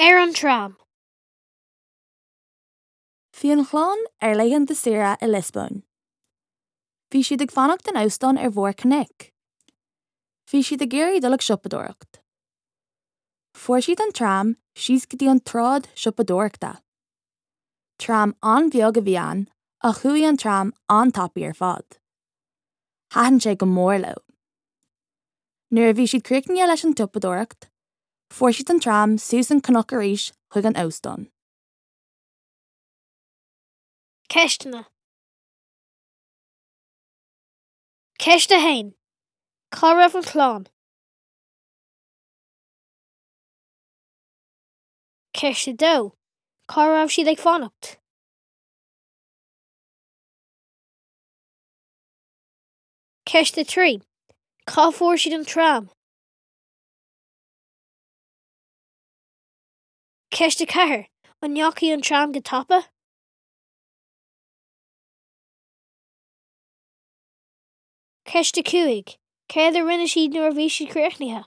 Ar an tram. Bhí an chlann ar laethanta saoire i Liospóin. Bhí siad ag fanacht in óstán ar bharr cnoic. Bhí siad ag iarraidh dul ag siopadóireacht. Fuair siad an tram síos go dtí an tsráid siopadóireachta. Tram an-bheag a bhí ann ach chuaigh an tram an-tapaidh ar fad. Thaitin sé go mór leo. Nuair a bhí siad críochnaithe leis an tsiopadóireacht, fuair siad an tram suas an cnoc arís chuig an óstán. Ceisteanna. Ceist 1. Cá raibh an chlann? Ceist 2. Cá raibh siad ag fanacht? Ceist 3. Cá bhfuair siad an tram? Ceist 4. An ndeachaigh an tram go tapa? Ceist 5. Céard a rinne siad nuair a bhí siad críochnaithe?